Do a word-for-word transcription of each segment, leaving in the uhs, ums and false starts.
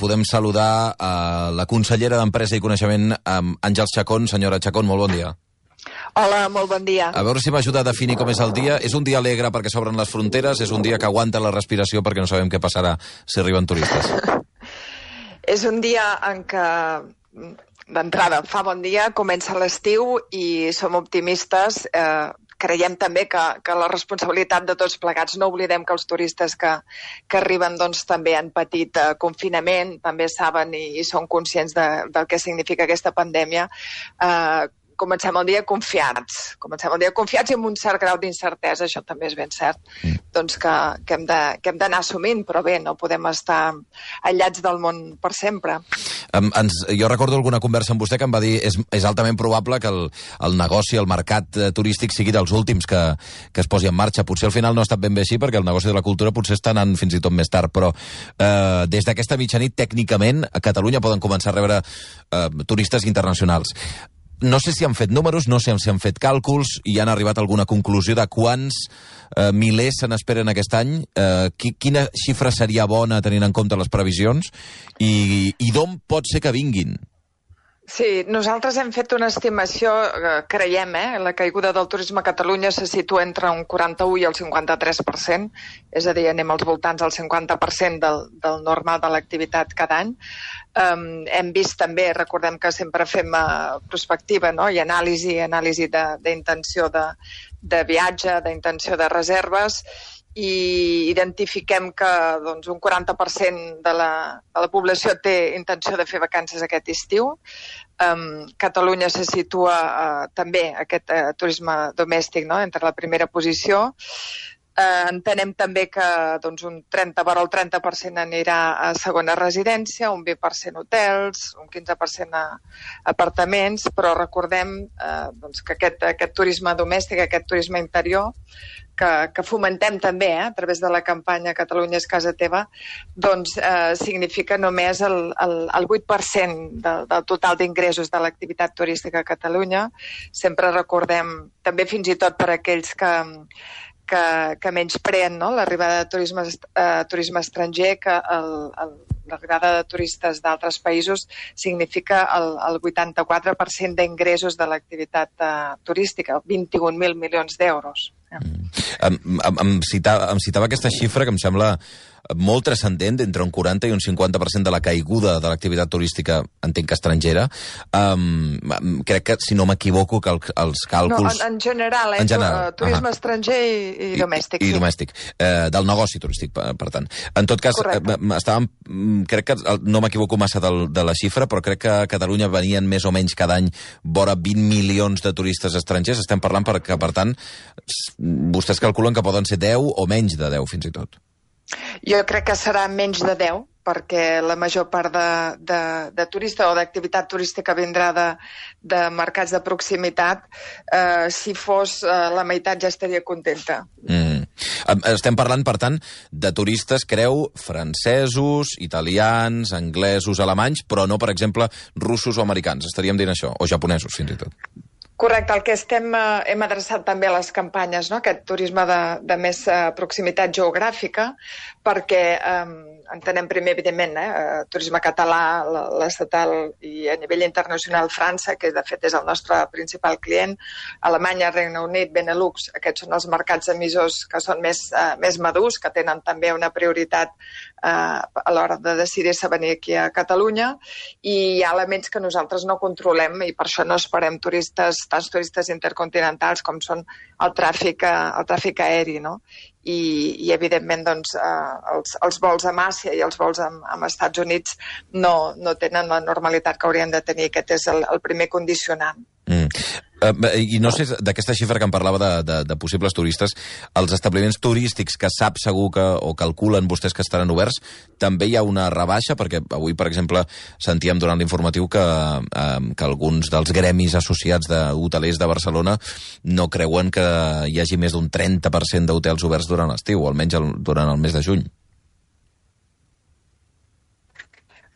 podem saludar a la consellera d'Empresa i Coneixement, Àngels Chacón. Senyora Chacón, molt bon dia. Hola, molt bon dia. A veure si m'ajuda a definir com és el dia. És un dia alegre perquè s'obren les fronteres? És un dia que aguanta la respiració perquè no sabem què passarà si arriben turistes? És un dia en què, d'entrada, fa bon dia, comença l'estiu i som optimistes. Eh, creiem també que, que la responsabilitat de tots plegats, no oblidem que els turistes que, que arriben doncs, també han patit eh, confinament, també saben i, i són conscients de, del que significa aquesta pandèmia. Eh, Comencem el dia confiats, comencem el dia confiats i amb un cert grau d'incertesa, això també és ben cert, mm. doncs que, que hem de, que hem d'anar assumint, però bé, no podem estar aïllats del món per sempre. Um, ens, jo recordo alguna conversa amb vostè que em va dir és, és altament probable que el, el negoci, el mercat eh, turístic sigui dels últims que, que es posi en marxa. Potser al final no ha estat ben bé així, perquè el negoci de la cultura potser està anant fins i tot més tard, però eh, des d'aquesta mitjanit, tècnicament, a Catalunya poden començar a rebre eh, turistes internacionals. No sé si han fet números, no sé si han fet càlculs i han arribat a alguna conclusió de quants eh, milers se n'esperen aquest any. Eh, qui, quina xifra seria bona tenint en compte les previsions i, i d'on pot ser que vinguin? Sí, nosaltres hem fet una estimació, eh, creiem, eh? La caiguda del turisme a Catalunya se situa entre un quaranta-u i el cinquanta-tres per cent, és a dir, anem als voltants del cinquanta per cent del, del normal de l'activitat cada any. Um, hem vist també, recordem que sempre fem uh, prospectiva, no? I anàlisi, anàlisi d'intenció de, de, de viatge, d'intenció de reserves, i identifiquem que doncs, un quaranta per cent de la, de la població té intenció de fer vacances aquest estiu. Um, Catalunya se situa uh, també aquest uh, turisme domèstic, no? Entre la primera posició. Uh, entenem també que doncs, un trenta per al trenta per cent anirà a segona residència, un vint per cent hotels, un quinze per cent a apartaments, però recordem uh, doncs, que aquest, aquest turisme domèstic, aquest turisme interior, que, que fomentem també eh, a través de la campanya Catalunya és casa teva, doncs eh, significa només el, el, el vuit per cent del, del total d'ingressos de l'activitat turística a Catalunya. Sempre recordem, també fins i tot per aquells que que, que menyspreen, no? L'arribada de turisme, eh, turisme estranger, que l'arribada de turistes d'altres països significa el, el vuitanta-quatre per cent d'ingressos de l'activitat eh, turística, vint-i-un mil milions d'euros. Mm. Em, em, em, citava, em citava aquesta xifra que em sembla molt transcendent, entre un quaranta i un cinquanta per cent de la caiguda de l'activitat turística, entenc que estrangera. Um, crec que, si no m'equivoco, que el, els càlculs... No, en, en general, eh? En general. Turisme uh -huh. estranger i, i domèstic. I, i sí. domèstic. Eh, del negoci turístic, per, per tant. En tot cas, eh, estàvem, crec que no m'equivoco massa del, de la xifra, però crec que a Catalunya venien més o menys cada any vora vint milions de turistes estrangers. Estem parlant perquè, per tant, vostès calculen que poden ser deu o menys de deu, fins i tot. Jo crec que serà menys de deu, perquè la major part de, de, de turista o d'activitat turística vindrà de, de mercats de proximitat. Eh, si fos eh, la meitat ja estaria contenta. Mm. Estem parlant, per tant, de turistes, creu, francesos, italians, anglesos, alemanys, però no, per exemple, russos o americans. Estaríem dient això, o japonesos, fins i tot. Correcte, el que estem, eh, hem adreçat també a les campanyes, no? Aquest turisme de, de més eh, proximitat geogràfica, perquè eh, entenem primer, evidentment, eh, turisme català, l'estatal i a nivell internacional França, que de fet és el nostre principal client, Alemanya, Regne Unit, Benelux, aquests són els mercats emissors que són més, eh, més madurs, que tenen també una prioritat eh, a l'hora de decidir-se venir aquí a Catalunya, i hi ha elements que nosaltres no controlem i per això no esperem turistes, tants turistes intercontinentals com són el tràfic, el tràfic aeri, no? I, i evidentment doncs, eh, els, els vols amb Àsia i els vols amb, amb Estats Units no, no tenen la normalitat que haurien de tenir. Aquest és el, el primer condicionant. Mm. Uh, I no sé, d'aquesta xifra que em parlava de, de, de possibles turistes, els establiments turístics que sap segur que, o calculen vostès que estaran oberts, també hi ha una rebaixa? Perquè avui, per exemple, sentíem durant l'informatiu que, uh, que alguns dels gremis associats d'hotelers de Barcelona no creuen que hi hagi més d'un trenta per cent d'hotels oberts durant l'estiu, o almenys el, durant el mes de juny.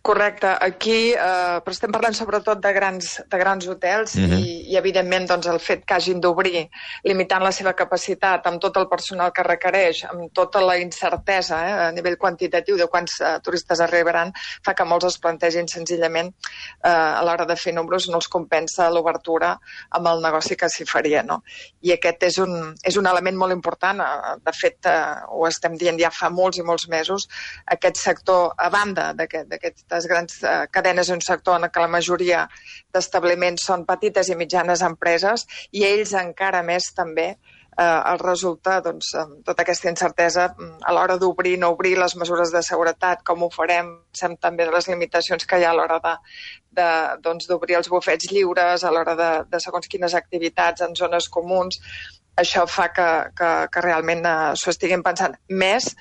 Correcte. Aquí, eh, però estem parlant sobretot de grans, de grans hotels, mm-hmm. i, i evidentment, doncs, el fet que hagin d'obrir, limitant la seva capacitat amb tot el personal que requereix, amb tota la incertesa eh, a nivell quantitatiu de quants uh, turistes arribaran, fa que molts es plantegin senzillament uh, a l'hora de fer números no els compensa l'obertura amb el negoci que s'hi faria, no? I aquest és un, és un element molt important. De fet, uh, ho estem dient ja fa molts i molts mesos. Aquest sector, a banda d'aquestes grans uh, cadenes, és un sector en què la majoria d'establiments són petites i mitjanes empreses i ells encara més també eh, els resulta doncs, tota aquesta incertesa a l'hora d'obrir, no obrir, les mesures de seguretat, com ho farem, pensem també de les limitacions que hi ha a l'hora de, de, doncs, d'obrir els bufets lliures, a l'hora de, de segons quines activitats en zones comuns. Això fa que, que, que realment eh, s'ho estiguin pensant més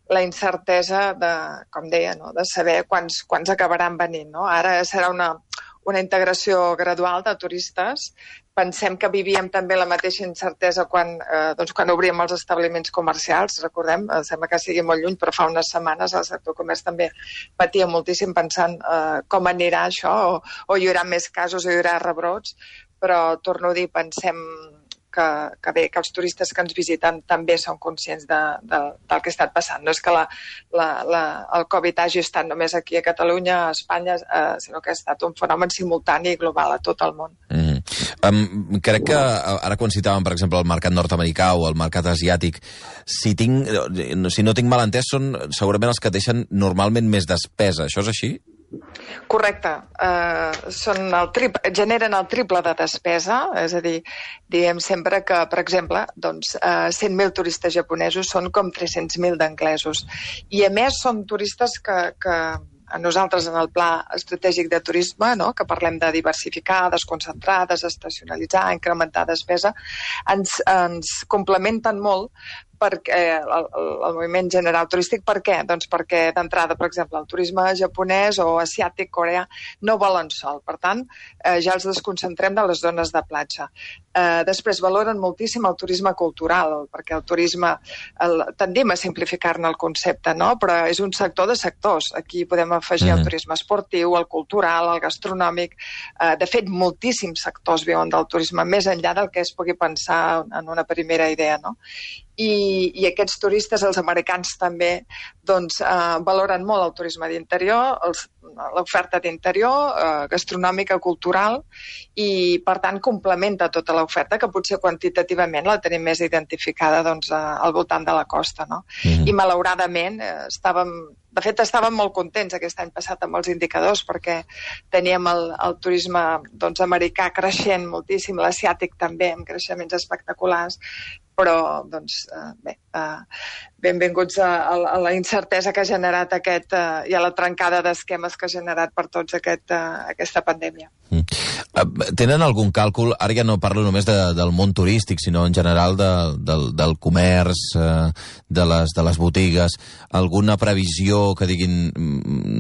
la incertesa de, com deia, no? De saber quants, quants acabaran venint. No? Ara serà una, una integració gradual de turistes. Pensem que vivíem també la mateixa incertesa quan, eh, doncs quan obríem els establiments comercials. Recordem, eh, sembla que sigui molt lluny, però fa unes setmanes el sector comerç també patia moltíssim pensant eh, com anirà això, o, o hi haurà més casos o hi haurà rebrots. Però, torno a dir, pensem Que, que bé, que els turistes que ens visiten també són conscients de, de, del que ha estat passant. No és que la, la, la, el Covid hagi estat només aquí a Catalunya, a Espanya, eh, sinó que ha estat un fenomen simultani i global a tot el món. Mm. Um, crec que ara quan citàvem, per exemple, el mercat nord-americà o el mercat asiàtic, si, tinc, si no tinc mal entès, són segurament els que deixen normalment més despesa. Això és així? Correcte. Uh, són el trip, generen el triple de despesa, és a dir, diem sempre que, per exemple, doncs, uh, cent mil turistes japonesos són com tres-cents mil d'anglesos. I, a més, són turistes que, que a nosaltres, en el pla estratègic de turisme, no?, que parlem de diversificar, desconcentrar, desestacionalitzar, incrementar despesa, ens, ens complementen molt perquè el, el moviment general turístic. Per què? Doncs perquè d'entrada, per exemple, el turisme japonès o asiàtic, coreà, no volen sol. Per tant, eh, ja els desconcentrem de les zones de platja. Eh, després valoren moltíssim el turisme cultural, perquè el turisme, el, tendim a simplificar-ne el concepte, no? Però és un sector de sectors. Aquí podem afegir mm. el turisme esportiu, el cultural, el gastronòmic. Eh, de fet, moltíssims sectors viuen del turisme, més enllà del que es pugui pensar en una primera idea, no? I, i aquests turistes, els americans també, doncs, eh, valoren molt el turisme d'interior, l'oferta d'interior, eh, gastronòmica, cultural, i, per tant, complementa tota l'oferta, que potser quantitativament la tenim més identificada doncs, al voltant de la costa. No? Mm-hmm. I, malauradament, eh, estàvem... De fet, estàvem molt contents aquest any passat amb els indicadors, perquè teníem el, el turisme doncs, americà creixent moltíssim, l'asiàtic també, amb creixements espectaculars, però, doncs, eh, bé, eh, benvinguts a, a la incertesa que ha generat aquest, eh, i a la trencada d'esquemes que ha generat per tots aquest, eh, aquesta pandèmia. Mm. Tenen algun càlcul, ara ja no parlo només de, del món turístic, sinó en general de, del, del comerç, eh, de, les, de les botigues, alguna previsió que diguin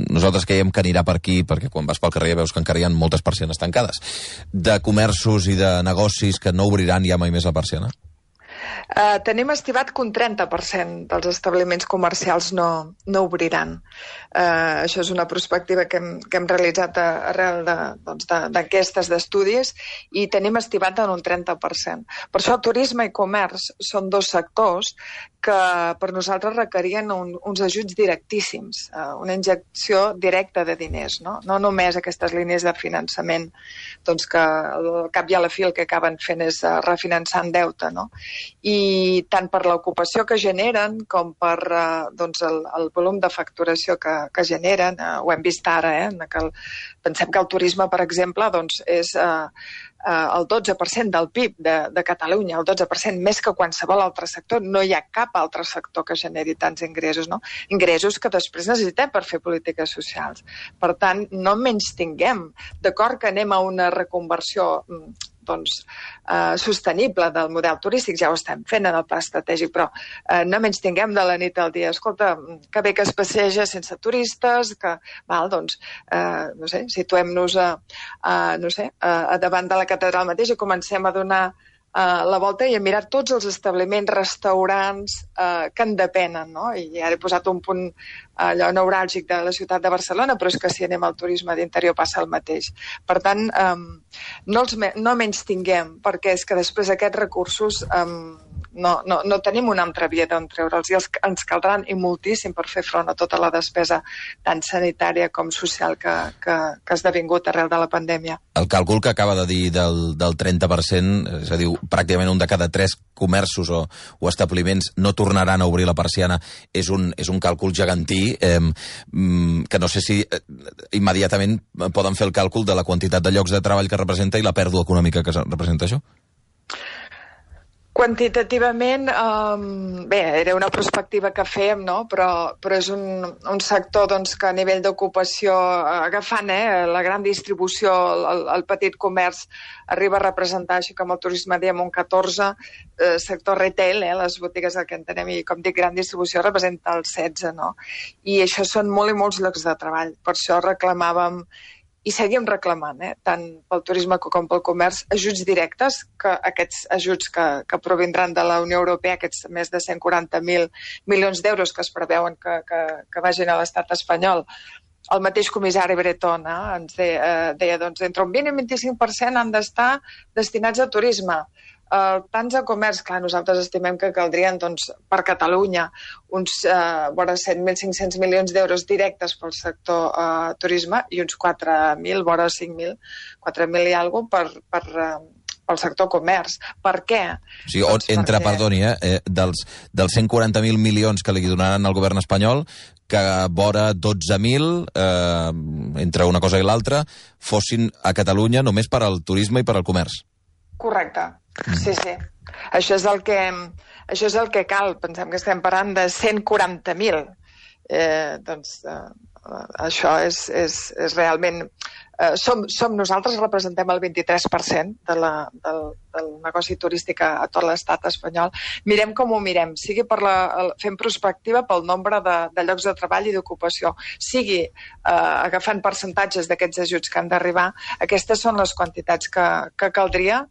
nosaltres creiem que anirà per aquí, perquè quan vas pel carrer veus que encara hi ha moltes persianes tancades, de comerços i de negocis que no obriran ja mai més la persiana? Uh, tenim estimat que un trenta per cent dels establiments comercials no, no obriran. Uh, això és una perspectiva que hem, que hem realitzat arrel d'enquestes, doncs, de, d'estudis, i tenim estimat en un trenta per cent. Per això turisme i comerç són dos sectors que per nosaltres requerien un, uns ajuts directíssims, uh, una injecció directa de diners, no? No només aquestes línies de finançament doncs, que al cap i a la fi el que acaben fent és uh, refinançant deute, no? I tant per l'ocupació que generen com per eh, doncs el, el volum de facturació que, que generen, eh, ho hem vist ara, eh, en que el, pensem que el turisme, per exemple, doncs és eh, eh, el dotze per cent del P I B de, de Catalunya, el dotze per cent més que qualsevol altre sector. No hi ha cap altre sector que generi tants ingressos, no? Ingressos que després necessitem per fer polítiques socials. Per tant, no menys tinguem. D'acord que anem a una reconversió doncs, eh, sostenible del model turístic, ja ho estem fent en el pla estratègic, però eh, no menys tinguem de la nit al dia. Escolta, que bé que es passeja sense turistes, que, val, doncs, eh, no sé, situem-nos a, a, no sé, a, a davant de la catedral mateix i comencem a donar la volta i a mirar tots els establiments, restaurants uh, que en depenen, no? I ara he posat un punt allò neuràlgic de la ciutat de Barcelona, però és que si anem al turisme d'interior passa el mateix. Per tant, um, no, els me no menys tinguem, perquè és que després aquests recursos um, no, no, no tenim una altra via d'on treure'ls i els, ens caldran i moltíssim per fer front a tota la despesa tant sanitària com social que, que, que ha esdevingut arrel de la pandèmia. El càlcul que acaba de dir del, del trenta per cent, és a dir, pràcticament un de cada tres comerços o, o establiments no tornaran a obrir la persiana, és un, és un càlcul gegantí, eh, que no sé si eh, immediatament poden fer el càlcul de la quantitat de llocs de treball que representa i la pèrdua econòmica que representa això? Quantitativament, um, bé, era una perspectiva que fèiem, no? però, però és un, un sector doncs, que a nivell d'ocupació, agafant eh, la gran distribució, el, el petit comerç, arriba a representar, així com el turisme diem, un catorze, eh, sector retail, eh, les botigues el que entenem, i com dic, gran distribució representa el setze, no? I això són molt i molts llocs de treball. Per això reclamàvem i seguim reclamant, eh, tant pel turisme com pel comerç, ajuts directes, que aquests ajuts que, que provindran de la Unió Europea, aquests més de cent quaranta mil milions d'euros que es preveuen que, que, que vagin a l'estat espanyol. El mateix comissari Breton eh, ens deia, eh, deia doncs, entre un vint i un vint-i-cinc per cent han d'estar destinats a turisme. Uh, tants a comerç, clar, nosaltres estimem que caldrien doncs, per Catalunya uns uh, vora set mil cinc-cents milions d'euros directes pel sector uh, turisme i uns quatre mil, vora cinc mil, quatre mil i alguna cosa per, per, uh, pel sector comerç. Per què? O sigui, doncs entre, perquè... perdoni, eh, dels, dels cent quaranta mil milions que li donaran al govern espanyol, que vora dotze mil, eh, entre una cosa i l'altra, fossin a Catalunya només per al turisme i per al comerç. Correcte, sí, sí. Això és el que, això és el que cal. Pensem que estem parlant de cent quaranta mil. Eh, doncs eh, això és, és, és realment... Eh, som, som nosaltres representem el vint-i-tres per cent de la, del, del negoci turístic a, a tot l'estat espanyol. Mirem com ho mirem, sigui per la, el, fent prospectiva pel nombre de, de llocs de treball i d'ocupació, sigui eh, agafant percentatges d'aquests ajuts que han d'arribar, aquestes són les quantitats que, que caldria.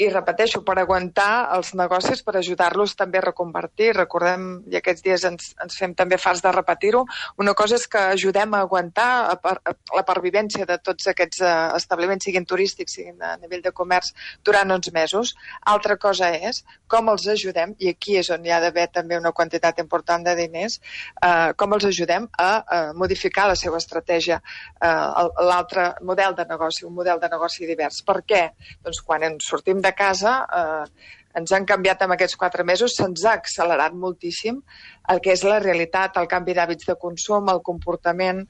I repeteixo, per aguantar els negocis, per ajudar-los també a reconvertir. Recordem, i aquests dies ens, ens fem també fars de repetir-ho, una cosa és que ajudem a aguantar a per, a la pervivència de tots aquests uh, establiments, siguin turístics, siguin a nivell de comerç, durant uns mesos. Altra cosa és com els ajudem, i aquí és on hi ha d'haver també una quantitat important de diners, uh, com els ajudem a, a modificar la seva estratègia, uh, l'altre model de negoci, un model de negoci divers. Per què? Doncs quan ens sortim de casa, eh, ens han canviat en aquests quatre mesos, se'ns ha accelerat moltíssim el que és la realitat, el canvi d'hàbits de consum, el comportament.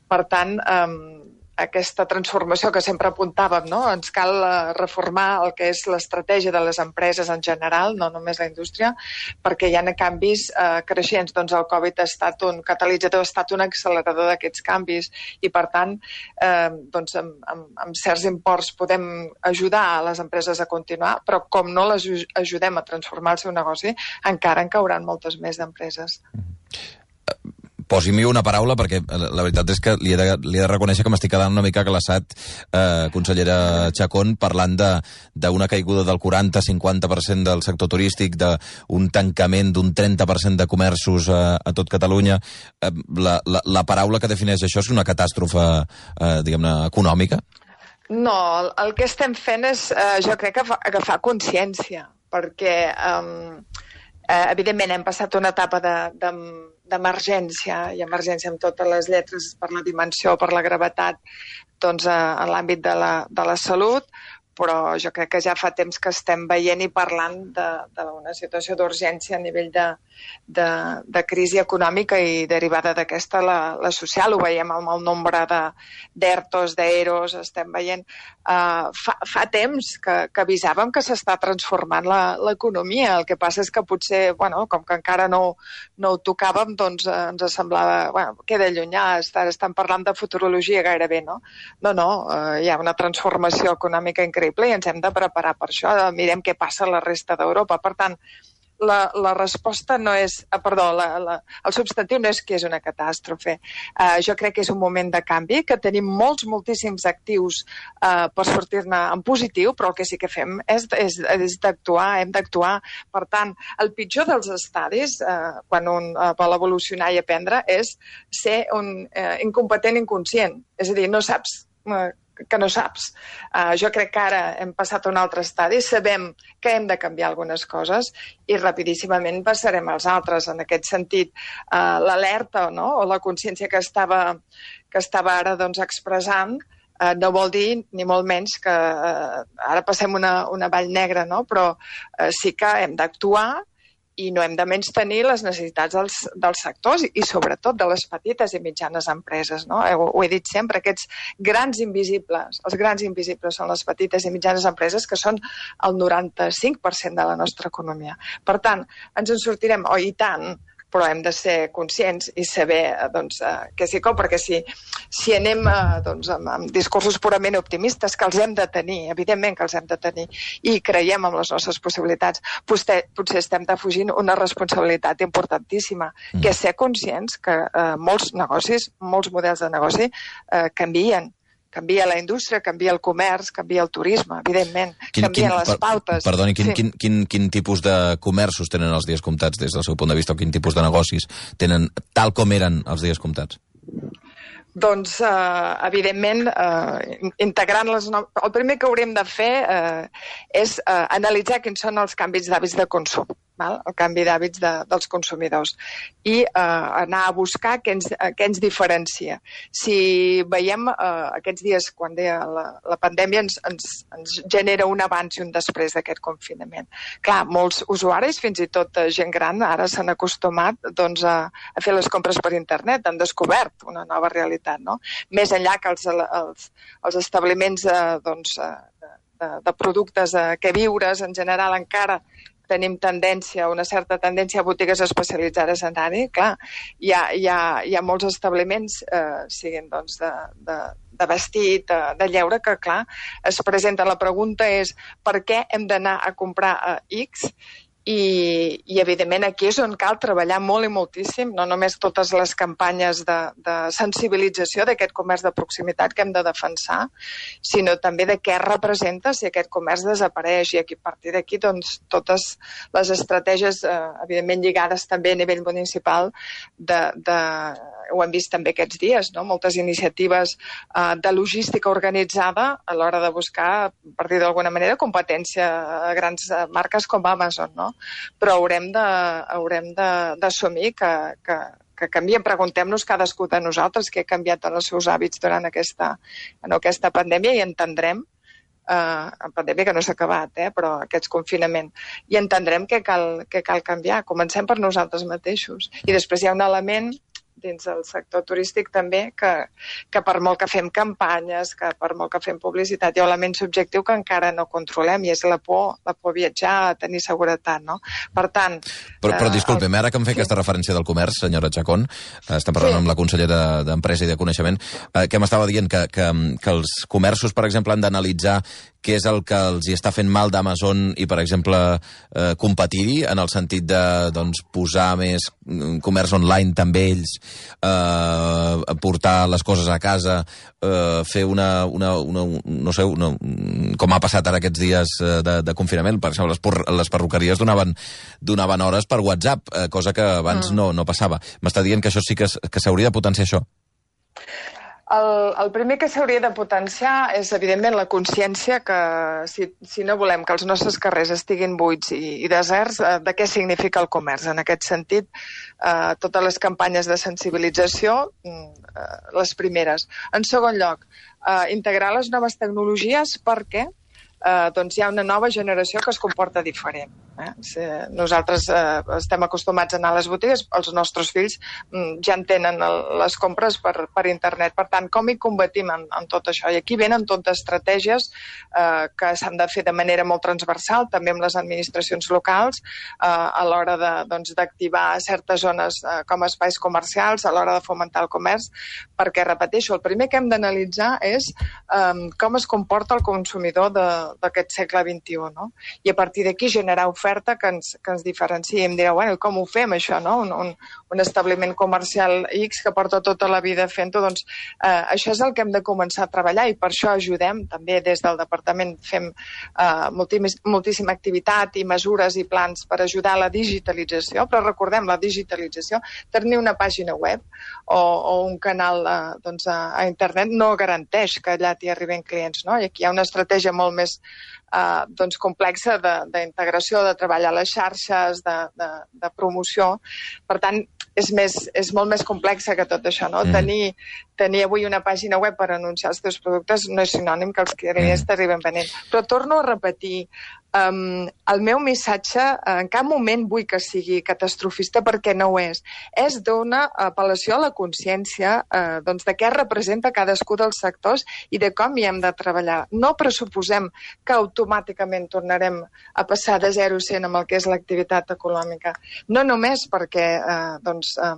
Per tant, eh, aquesta transformació que sempre apuntàvem, no? Ens cal uh, reformar el que és l'estratègia de les empreses en general, no només la indústria, perquè hi ha canvis uh, creixents. Doncs el Covid ha estat un catalitzador, ha estat un accelerador d'aquests canvis i, per tant, eh, doncs amb, amb, amb certs imports podem ajudar a les empreses a continuar, però com no les ajudem a transformar el seu negoci, encara en cauran moltes més d'empreses. Posi-m'hi una paraula, perquè la veritat és que li he de, li he de reconèixer que m'estic quedant una mica glaçat, eh, consellera Chacón, parlant d'una caiguda del quaranta a cinquanta per cent del sector turístic, d'un tancament d'un trenta per cent de comerços a, a tot Catalunya. Eh, la, la, la paraula que defineix això és una catàstrofe, eh, diguem-ne, econòmica? No, el, el que estem fent és, eh, jo crec, que agafar consciència, perquè, eh, eh, evidentment, hem passat una etapa de... de d'emergència, i emergència amb totes les lletres per la dimensió, per la gravetat, doncs en l'àmbit de la, de la salut, però jo crec que ja fa temps que estem veient i parlant d'una situació d'urgència a nivell de, de, de crisi econòmica i derivada d'aquesta la, la social. Ho veiem amb el nombre d'ERTOs, d'EROs, estem veient. Uh, fa, fa temps que, que avisàvem que s'està transformant l'economia. El que passa és que potser, bueno, com que encara no, no ho tocàvem, doncs eh, ens semblava, bueno, queda llunyà, estan, estan parlant de futurologia gairebé, no? No, no, uh, hi ha una transformació econòmica increïble i ens hem de preparar per això. Mirem què passa a la resta d'Europa. Per tant, la, la resposta no és... Ah, perdó, la, la, el substantiu no és que és una catàstrofe. Uh, jo crec que és un moment de canvi, que tenim molts, moltíssims actius uh, per sortir-ne en positiu, però el que sí que fem és, és, és d'actuar, hem d'actuar. Per tant, el pitjor dels estadis, uh, quan un uh, vol evolucionar i aprendre, és ser un uh, incompetent inconscient. És a dir, no saps... Uh, que no saps. Uh, jo crec que ara hem passat a un altre estadi, sabem que hem de canviar algunes coses i rapidíssimament passarem als altres. En aquest sentit, uh, l'alerta, no?, o la consciència que estava, que estava ara doncs, expressant uh, no vol dir ni molt menys que uh, ara passem una, una vall negra, no?, però uh, sí que hem d'actuar i no hem de menystenir les necessitats dels, dels sectors i, sobretot, de les petites i mitjanes empreses. No? Ho, ho he dit sempre, aquests grans invisibles, els grans invisibles són les petites i mitjanes empreses, que són el noranta-cinc per cent de la nostra economia. Per tant, ens en sortirem, oh, i tant, però hem de ser conscients i saber doncs, eh, què s'hi cou, perquè si, si anem eh, doncs, amb, amb discursos purament optimistes, que els hem de tenir, evidentment que els hem de tenir, i creiem en les nostres possibilitats, potser, potser estem defugint una responsabilitat importantíssima, mm. que és ser conscients que eh, molts negocis, molts models de negoci eh, canvien. Canvia la indústria, canvia el comerç, canvia el turisme, evidentment, quin, canvien quin, les pautes. Perdoni, quin, sí. quin, quin, quin tipus de comerços tenen els dies comptats des del seu punt de vista, o quin tipus de negocis tenen tal com eren els dies comptats? Doncs, eh, evidentment, eh, integrant les... No... El primer que haurem de fer eh, és eh, analitzar quins són els canvis d'hàbits de consum, val? El canvi d'hàbits de, dels consumidors, i eh, anar a buscar què ens, què ens diferencia. Si veiem eh, aquests dies, quan deia la, la pandèmia, ens, ens, ens genera un abans i un després d'aquest confinament. Clar, molts usuaris, fins i tot gent gran, ara s'han acostumat doncs, a, a fer les compres per internet, han descobert una nova realitat. No? Més enllà que els, els, els establiments eh, doncs, de, de productes eh, que viures, en general encara tenim tendència, una certa tendència a botigues especialitzades en anar-hi. Clar, hi ha, hi ha, hi ha molts establiments, eh, siguin doncs, de, de, de vestit, de, de lleure, que clar, es presenta. La pregunta és per què hem d'anar a comprar a X? I, i, evidentment, aquí és on cal treballar molt i moltíssim, no només totes les campanyes de, de sensibilització d'aquest comerç de proximitat que hem de defensar, sinó també de què representa si aquest comerç desapareix. I aquí, a partir d'aquí, doncs, totes les estratègies, eh, evidentment lligades també a nivell municipal, de, de, ho hem vist també aquests dies, no? Moltes iniciatives eh, de logística organitzada a l'hora de buscar, a partir d'alguna manera, competència a grans marques com Amazon, no? Però haurem de, haurem d'assumir que, que, que canviem. Preguntem-nos cadascú de nosaltres què ha canviat en els seus hàbits durant aquesta, en aquesta pandèmia, i entendrem, eh, en pandèmia que no s'ha acabat, eh, però aquest confinament, i entendrem que cal, que cal canviar. Comencem per nosaltres mateixos. I després hi ha un element dins del sector turístic també, que, que per molt que fem campanyes, que per molt que fem publicitat, hi ha un element subjectiu que encara no controlem, i és la por, la por a viatjar, a tenir seguretat, no? Per tant... Però, però disculpem, el... ara que em fa sí. aquesta referència del comerç, senyora Chacón, estem parlant sí. amb la consellera d'Empresa i de Coneixement, eh, que m'estava dient que, que, que els comerços, per exemple, han d'analitzar què és el que els hi està fent mal d'Amazon i, per exemple, eh, competir-hi, en el sentit de doncs, posar més comerç online també ells, eh, portar les coses a casa, eh, fer una, una, una, no sé, una, com ha passat ara aquests dies de, de confinament. Per exemple, les, por, les perruqueries donaven, donaven hores per WhatsApp, eh, cosa que abans mm. no, no passava. M'està dient que això sí que, que s'hauria de potenciar, això? El, el primer que s'hauria de potenciar és, evidentment, la consciència que si, si no volem que els nostres carrers estiguin buits i, i deserts, eh, de què significa el comerç. En aquest sentit, eh, totes les campanyes de sensibilització, eh, les primeres. En segon lloc, eh, integrar les noves tecnologies perquè eh, doncs hi ha una nova generació que es comporta diferent. Eh? Si nosaltres eh, estem acostumats a anar a les botigues, els nostres fills mm, ja en tenen el, les compres per, per internet. Per tant, com hi combatim en, en tot això? I aquí venen totes estratègies eh, que s'han de fer de manera molt transversal, també amb les administracions locals, eh, a l'hora de, doncs, d'activar certes zones eh, com a espais comercials, a l'hora de fomentar el comerç, perquè, repeteixo, el primer que hem d'analitzar és eh, com es comporta el consumidor d'aquest segle vint-i-u, no? I a partir d'aquí generar ofertes oferta que ens, que ens diferenciï. Em direu, bueno, com ho fem, això, no? Un, un, un establiment comercial X que porta tota la vida fent-ho, doncs eh, això és el que hem de començar a treballar i per això ajudem. També des del departament fem eh, moltíssim, moltíssima activitat i mesures i plans per ajudar a la digitalització, però recordem, la digitalització, tenir una pàgina web o, o un canal eh, doncs, a, a internet no garanteix que allà t'hi arriben clients, no? I aquí hi ha una estratègia molt més Uh, doncs complexa d'integració, de, de treballar a les xarxes, de, de, de promoció. Per tant, és, més, és molt més complexa que tot això, no? Mm. Tenir, tenir avui una pàgina web per anunciar els teus productes no és sinònim que els clients mm. t'arriben venent. Però torno a repetir, um, el meu missatge en cap moment vull que sigui catastrofista perquè no ho és. És d'una apel·lació a la consciència uh, doncs de què representa cadascú dels sectors i de com hi hem de treballar. No pressuposem que automàticament tornarem a passar de zero a cent amb el que és l'activitat econòmica. No només perquè eh, doncs, eh,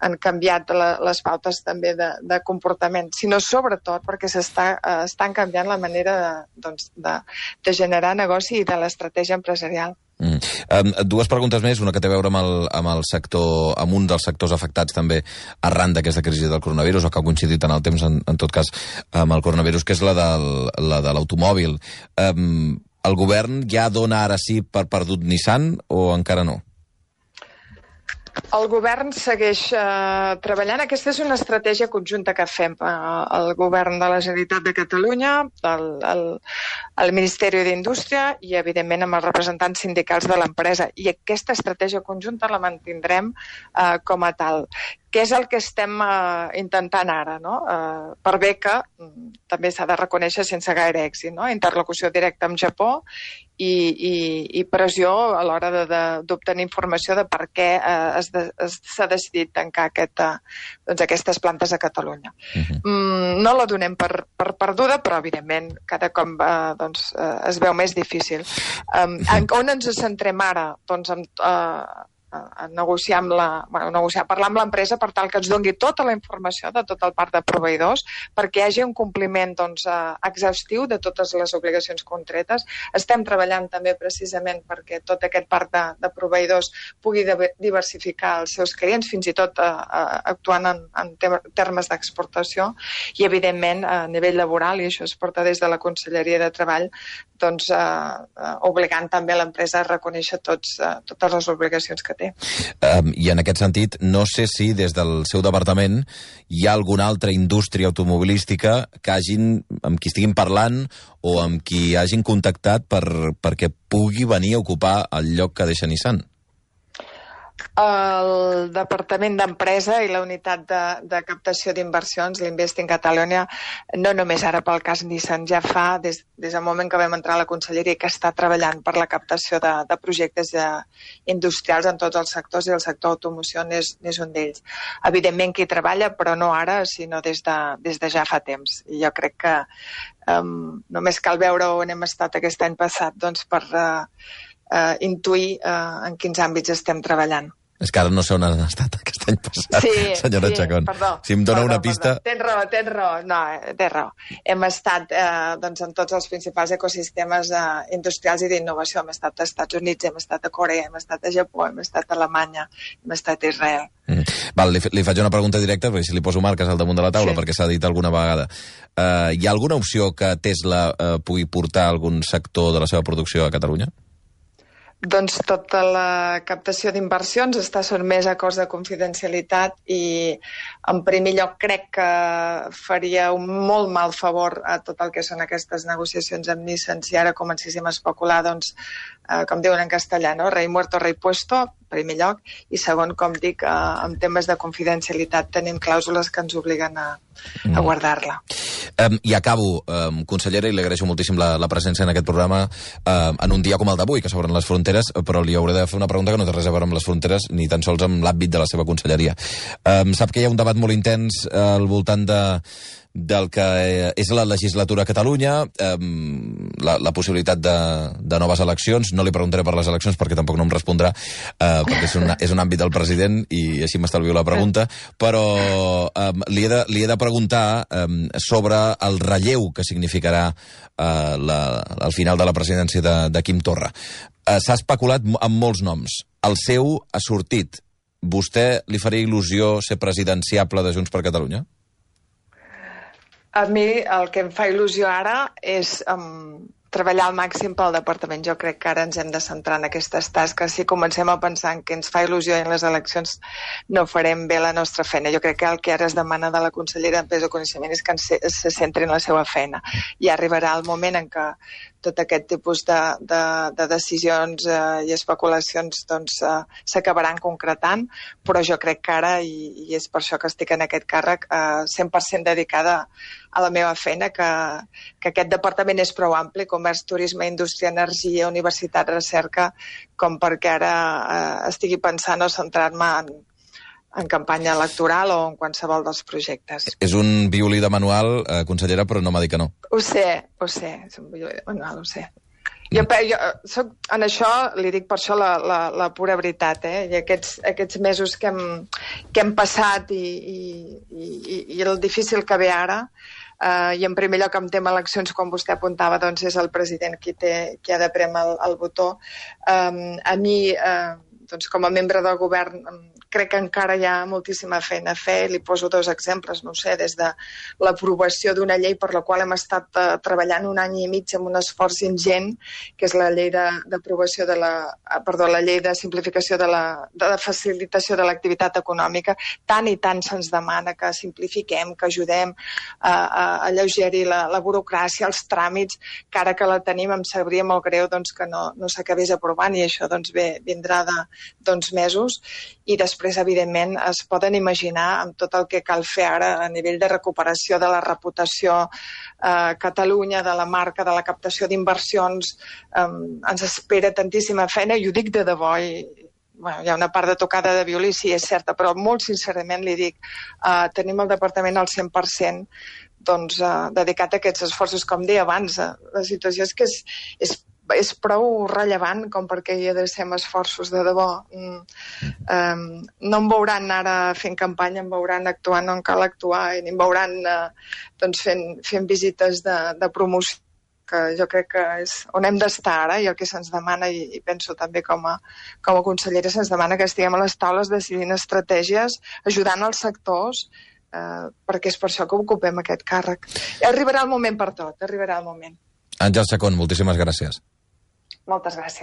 han canviat la, les pautes també de, de comportament, sinó sobretot perquè s'està eh, estan canviant la manera de, doncs, de, de generar negoci i de l'estratègia empresarial. Mm. Um, dues preguntes més, una que té a veure amb el, amb el sector, amb un dels sectors afectats també arran d'aquesta crisi del coronavirus, o que ha coincidit en el temps, en, en tot cas, amb el coronavirus, que és la del, la de l'automòbil. Um, el govern ja dona ara sí per perdut Nissan o encara no? El govern segueix eh, treballant. Aquesta és una estratègia conjunta que fem eh, el govern de la Generalitat de Catalunya, el, el, el Ministeri d'Indústria i, evidentment, amb els representants sindicals de l'empresa. I aquesta estratègia conjunta la mantindrem eh, com a tal. Què és el que estem eh, intentant ara, no? Eh, per bé que mm, també s'ha de reconèixer sense gaire èxit, no? Interlocució directa amb Japó i, i, i pressió a l'hora d'obtenir informació de per què eh, s'ha decidit tancar aquest, eh, doncs aquestes plantes a Catalunya. Uh-huh. mm, no la donem per, per perduda, però evidentment cada cop eh, doncs, eh, es veu més difícil. Um, en, on ens centrem ara? Doncs amb... Eh, a negociar amb la, bueno, negociar, parlar amb l'empresa per tal que ens doni tota la informació de tot el parc de proveïdors perquè hi hagi un compliment doncs, exhaustiu de totes les obligacions contretes. Estem treballant també precisament perquè tot aquest parc de, de proveïdors pugui de, diversificar els seus clients, fins i tot eh, actuant en, en termes d'exportació i, evidentment, a nivell laboral, i això es porta des de la Conselleria de Treball, doncs, eh, obligant també l'empresa a reconèixer tots, eh, totes les obligacions que té. Um, I en aquest sentit, no sé si des del seu departament hi ha alguna altra indústria automobilística que hagin, amb qui estiguin parlant o amb qui hagin contactat per, perquè pugui venir a ocupar el lloc que deixa Nissan. El Departament d'Empresa i la unitat de, de captació d'inversions, l'Investing Catalonia, no només ara pel cas Nissan, ja fa des, des del moment que vam entrar a la Conselleria que està treballant per la captació de, de projectes de, industrials en tots els sectors i el sector automoció n'és un d'ells. Evidentment que hi treballa, però no ara, sinó des de, des de ja fa temps. I jo crec que um, només cal veure on hem estat aquest any passat doncs, per uh, uh, intuir uh, en quins àmbits estem treballant. És que ara no sé on han estat aquest any passat, sí, senyora sí, Chacón. Perdó, si em dona perdó, una pista... Perdó. Tens raó, tens raó. No, tens raó. Hem estat eh, doncs, en tots els principals ecosistemes eh, industrials i d'innovació. Hem estat als Estats Units, hem estat a Corea, hem estat a Japó, hem estat a Alemanya, hem estat a Israel. Mm. Val, li, li faig una pregunta directa, perquè si li poso marques al damunt de la taula, sí. perquè s'ha dit alguna vegada. Uh, hi ha alguna opció que Tesla uh, pugui portar algun sector de la seva producció a Catalunya? Doncs tota la captació d'inversions està sotmesa a acords de confidencialitat i, en primer lloc, crec que faria un molt mal favor a tot el que són aquestes negociacions amb Nissan si ara comencéssim a especular, doncs, eh, com diuen en castellà, no? Rei muerto, rei puesto, en primer lloc, i segon, com dic, eh, en temes de confidencialitat tenim clàusules que ens obliguen a, a guardar-la. Um, I acabo, um, consellera, i li agraeixo moltíssim la, la presència en aquest programa um, en un dia com el d'avui, que s'obren les fronteres, però li hauré de fer una pregunta que no té res a veure amb les fronteres, ni tan sols amb l'àmbit de la seva conselleria. Um, sap que hi ha un debat molt intens uh, al voltant de del que és la legislatura a Catalunya. Um, la, la possibilitat de, de noves eleccions. No li preguntaré per les eleccions perquè tampoc no em respondrà, eh, perquè és un, és un àmbit del president i així m'estalvio la pregunta, però eh, li, he de, li he de preguntar eh, sobre el relleu que significarà eh, la, al final de la presidència de, de Quim Torra. Eh, S'ha especulat amb molts noms. El seu ha sortit. Vostè li faria il·lusió ser presidenciable de Junts per Catalunya? A mi el que em fa il·lusió ara és um, treballar al màxim pel departament. Jo crec que ara ens hem de centrar en aquestes tasques. Si comencem a pensar en què ens fa il·lusió en les eleccions, no farem bé la nostra feina. Jo crec que el que ara es demana de la consellera d'Empresa i Coneixement és que se, se centri en la seva feina. I arribarà el moment en què tot aquest tipus de, de, de decisions eh, i especulacions doncs, eh, s'acabaran concretant, però jo crec que ara, i, i és per això que estic en aquest càrrec, eh, cent per cent dedicada a la meva feina, que, que aquest departament és prou ampli, comerç, turisme, indústria, energia, universitat, recerca, com perquè ara eh, estigui pensant o centrar-me en, en campanya electoral o en qualsevol dels projectes. És un violí de manual, eh, consellera, però no m'ha dit que no. Ho sé, ho sé, és un violí de manual, ho sé. Jo, jo soc, en això li dic per això la, la, la pura veritat, eh? I aquests, aquests mesos que hem, que hem passat i, i, i, i el difícil que ve ara, eh, i en primer lloc amb tema eleccions, com vostè apuntava, doncs és el president qui, té, qui ha de prémer el, el botó. Eh, a mi, eh, doncs com a membre del govern, crec que encara hi ha moltíssima feina a fer. Li poso dos exemples, no sé, des de l'aprovació d'una llei per la qual hem estat uh, treballant un any i mig amb un esforç ingent, que és la llei d'aprovació de, de la... Perdó, la llei de simplificació de la, de la facilitació de l'activitat econòmica. Tant i tant se'ns demana que simplifiquem, que ajudem a, a, a alleugerir la, la burocràcia, els tràmits, que ara que la tenim em sabria molt greu doncs, que no, no s'acabés aprovant, i això doncs, bé, vindrà de, d'uns mesos. I després, evidentment, es poden imaginar amb tot el que cal fer ara a nivell de recuperació de la reputació a eh, Catalunya, de la marca, de la captació d'inversions. Eh, ens espera tantíssima feina, i ho dic de debò, i bueno, hi ha una part de tocada de violí, sí, és certa, però molt sincerament li dic, eh, tenim el departament al cent per cent doncs, eh, dedicat a aquests esforços. Com deia abans, eh, la situació és que és, és és prou rellevant com perquè hi adrecem esforços de debò. Mm. Um, no em veuran ara fent campanya, em veuran actuant on cal actuar, i em veuran uh, doncs fent, fent visites de, de promoció, que jo crec que és on hem d'estar ara, i el que se'ns demana, i, i penso també com a, com a consellera, se'ns demana que estiguem a les taules decidint estratègies, ajudant els sectors, uh, perquè és per això que ocupem aquest càrrec. I arribarà el moment per tot, arribarà el moment. Àngels Chacón, moltíssimes gràcies. Moltes gràcies.